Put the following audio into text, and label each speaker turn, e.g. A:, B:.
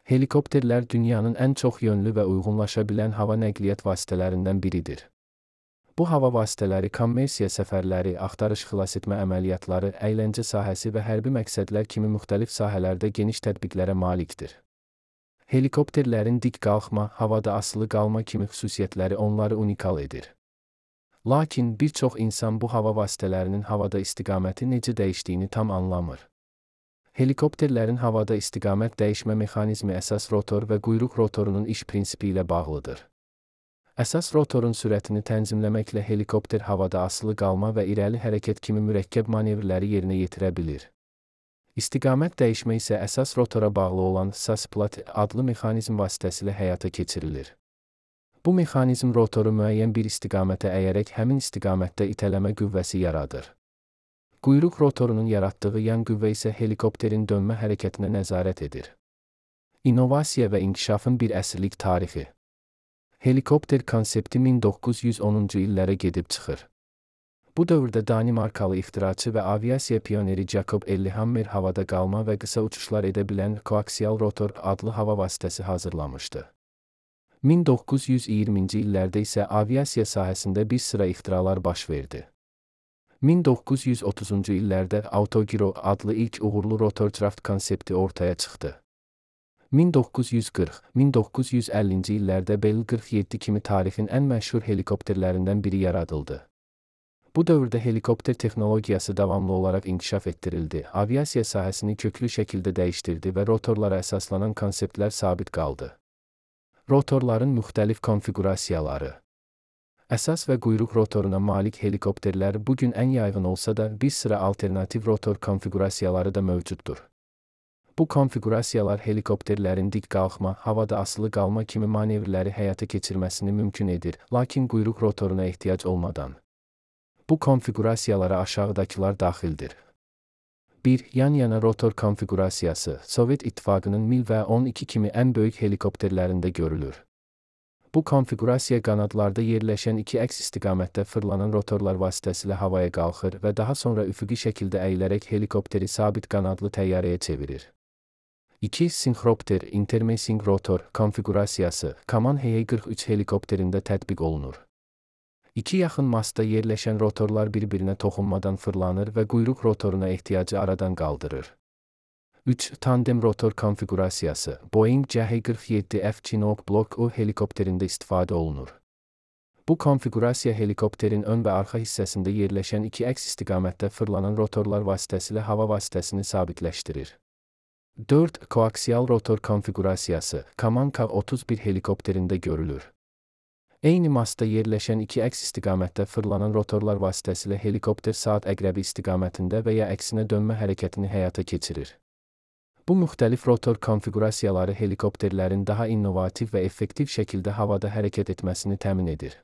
A: Helikopterlər dünyanın ən çox yönlü və uyğunlaşa bilən hava nəqliyyat vasitələrindən biridir. Bu hava vasitələri kommersiya səfərləri, axtarış xilasetmə əməliyyatları, əyləncə sahəsi və hərbi məqsədlər kimi müxtəlif sahələrdə geniş tətbiqlərə malikdir. Helikopterlərin dik qalxma, havada asılı qalma kimi xüsusiyyətləri onları unikal edir. Lakin bir çox insan bu hava vasitələrinin havada istiqaməti necə dəyişdiyini tam anlamır. Helikopterlərin havada istiqamət dəyişmə mexanizmi əsas rotor və quyruq rotorunun iş prinsipi ilə bağlıdır. Əsas rotorun sürətini tənzimləməklə helikopter havada asılı qalma və irəli hərəkət kimi mürəkkəb manevrləri yerinə yetirə bilir. İstiqamət dəyişmə isə əsas rotora bağlı olan SAS-PLAT adlı mexanizm vasitəsilə həyata keçirilir. Bu mexanizm rotoru müəyyən bir istiqamətə əyərək həmin istiqamətdə itələmə qüvvəsi yaradır. Quyruq rotorunun yaratdığı yan qüvvə isə helikopterin dönmə hərəkətinə nəzarət edir. İnnovasiya və inkişafın bir əsrlik tarixi. Helikopter konsepti 1910-cu illərə gedib çıxır. Bu dövrdə Danimarkalı ixtiraçı və aviasiya pioneri Jacob Ellehammer havada qalma və qısa uçuşlar edə bilən koaksial rotor adlı hava vasitəsi hazırlamışdı. 1920-ci illərdə isə aviasiya sahəsində bir sıra ixtiralar baş verdi. 1930-cu illərdə Autogyro adlı ilk uğurlu rotorcraft konsepti ortaya çıxdı. 1940-1950-ci illərdə Bell 47 kimi tarixin ən məşhur helikopterlərindən biri yaradıldı. Bu dövrdə helikopter texnologiyası davamlı olaraq inkişaf etdirildi, aviasiya sahəsini köklü şəkildə dəyişdirdi və rotorlara əsaslanan konseptlər sabit qaldı. Rotorların müxtəlif konfiqurasiyaları. Əsas və quyruq rotoruna malik helikopterlər bugün ən yaygın olsa da, bir sıra alternativ rotor konfiqurasiyaları da mövcuddur. Bu konfiqurasiyalar helikopterlərin dik qalxma, havada asılı qalma kimi manevrləri həyata keçirməsini mümkün edir, lakin quyruq rotoruna ehtiyac olmadan. Bu konfiqurasiyalara aşağıdakılar daxildir. 1. Yan-yana rotor konfiqurasiyası Sovet İttifaqının Mil və 12 kimi ən böyük helikopterlərində görülür. Bu konfiqurasiya qanadlarda yerləşən iki əks istiqamətdə fırlanan rotorlar vasitəsilə havaya qalxır və daha sonra üfüqi şəkildə əyilərək helikopteri sabit qanadlı təyyarəyə çevirir. 2. Sinxropter intermessing rotor konfiqurasiyası Kaman HE-43 helikopterində tətbiq olunur. İki yaxın mastda yerləşən rotorlar bir-birinə toxunmadan fırlanır və quyruq rotoruna ehtiyacı aradan qaldırır. 3. Tandem rotor konfiqurasiyası Boeing CH-47F Chinook Block U helikopterində istifadə olunur. Bu konfiqurasiya helikopterin ön və arxa hissəsində yerləşən iki əks istiqamətdə fırlanan rotorlar vasitəsilə hava vasitəsini sabitləşdirir. 4. Koaksial rotor konfiqurasiyası Kaman Ka-31 helikopterində görülür. Eyni mastda yerləşən iki əks istiqamətdə fırlanan rotorlar vasitəsilə helikopter saat əqrəbi istiqamətində və ya əksinə dönmə hərəkətini həyata keçirir. Bu müxtəlif rotor konfiqurasiyaları helikopterlərin daha innovativ və effektiv şəkildə havada hərəkət etməsini təmin edir.